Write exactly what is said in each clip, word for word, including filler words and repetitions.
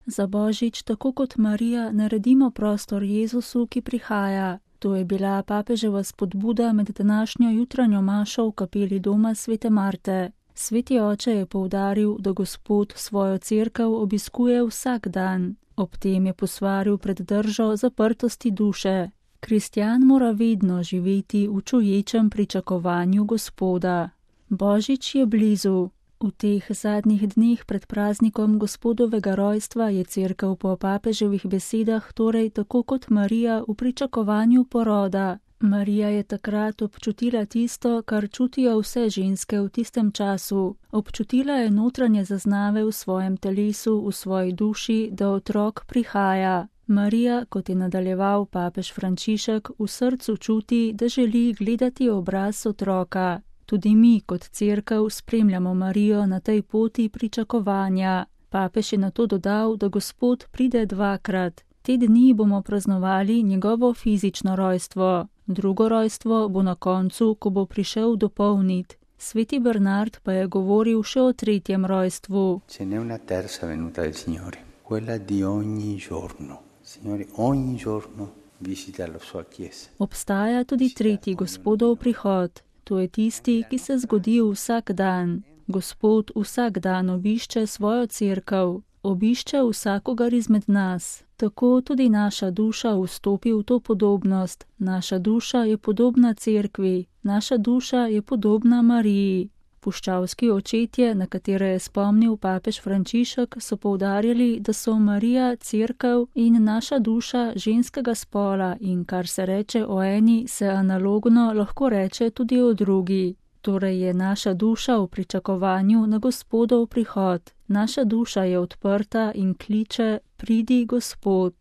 Za Božič, tako kot Marija, naredimo prostor Jezusu, ki prihaja. To je bila papeževa spodbuda med današnjo jutranjo mašo v kapeli doma svete Marte. Sveti oče je poudaril, da Gospod svojo cerkev obiskuje vsak dan. Ob tem je posvaril pred držo zaprtosti duše. Kristjan mora vedno živeti v čuječem pričakovanju Gospoda. Božič je blizu. V teh zadnjih dneh pred praznikom Gospodovega rojstva je cerkev po papeževih besedah torej tako kot Marija v pričakovanju poroda. Marija je takrat občutila tisto, kar čutijo vse ženske v tistem času. Občutila je notranje zaznave v svojem telesu, v svoji duši, da otrok prihaja. Marija, kot je nadaljeval papež Frančišek, v srcu čuti, da želi gledati obraz otroka. Tudi mi kot cerkev spremljamo Marijo na tej poti pričakovanja. Papež je na to dodal, da Gospod pride dvakrat. Te dni bomo praznovali njegovo fizično rojstvo. Drugo rojstvo bo na koncu, ko bo prišel dopolnit. Sveti Bernard pa je govoril še o tretjem rojstvu. Ce n'è una terza venuta del Signore, quella di ogni giorno. Signore ogni giorno visita la sua chiesa. Obstaja tudi tretji Gospodov prihod. To je tisti, ki se zgodi vsak dan. Gospod vsak dan obišče svojo cerkev, obišče vsakogar izmed nas. Tako tudi naša duša vstopi v to podobnost. Naša duša je podobna cerkvi, naša duša je podobna Mariji. Puščavski očetje, na katere je spomnil papež Frančišek, so poudarjali, da so Marija cerkev in naša duša ženskega spola in kar se reče o eni, se analogno lahko reče tudi o drugi. Torej je naša duša v pričakovanju na Gospodov prihod. Naša duša je odprta in kliče, pridi Gospod.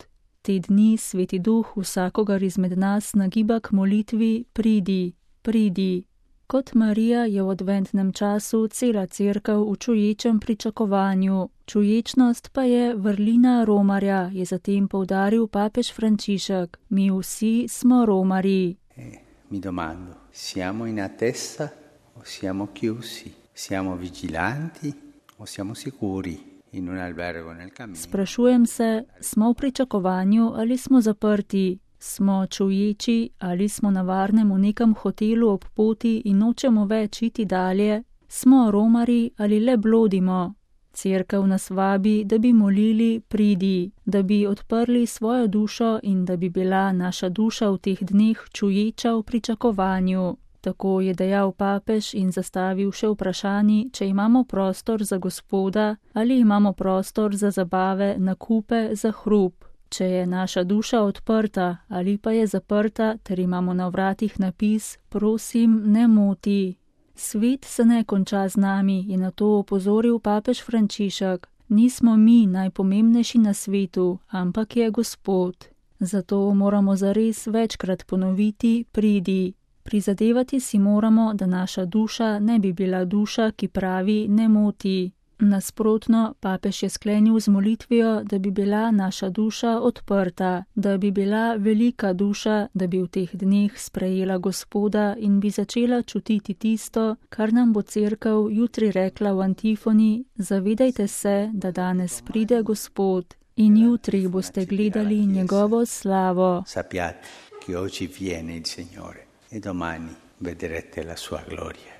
Te dni Sveti Duh vsakogar izmed nas nagiba k molitvi, pridi, pridi. Kot Marija je v adventnem času cela cerkev v čuječem pričakovanju. Čuječnost pa je vrlina romarja, je zatem poudaril papež Frančišek. Mi vsi smo romarji. Eh, mi domando, siamo in attesa o siamo chiusi? Siamo vigilanti o siamo sicuri in un albergo nel cammino? Sprašujem se, smo v pričakovanju ali smo zaprti? Smo čuječi ali smo na varnem v nekem hotelu ob poti in nočemo več iti dalje? Smo romari ali le blodimo? Cerkev nas vabi, da bi molili, pridi, da bi odprli svojo dušo in da bi bila naša duša v teh dneh čuječa v pričakovanju. Tako je dejal papež in zastavil še vprašanje, če imamo prostor za Gospoda ali imamo prostor za zabave, nakupe, za hrup. Če je naša duša odprta ali pa je zaprta, ter imamo na vratih napis, prosim, ne moti. Svet se ne konča z nami, je na to opozoril papež Frančišek. Nismo mi najpomembnejši na svetu, ampak je Gospod. Zato moramo zares večkrat ponoviti, pridi. Prizadevati si moramo, da naša duša ne bi bila duša, ki pravi, ne moti. Nasprotno, papež je sklenil z molitvijo, da bi bila naša duša odprta, da bi bila velika duša, da bi v teh dneh sprejela Gospoda in bi začela čutiti tisto, kar nam bo cerkev jutri rekla v antifoni, zavedajte se, da danes pride Gospod in jutri boste gledali njegovo slavo. Sappiate che oggi viene il Signore e domani vedrete la sua gloria.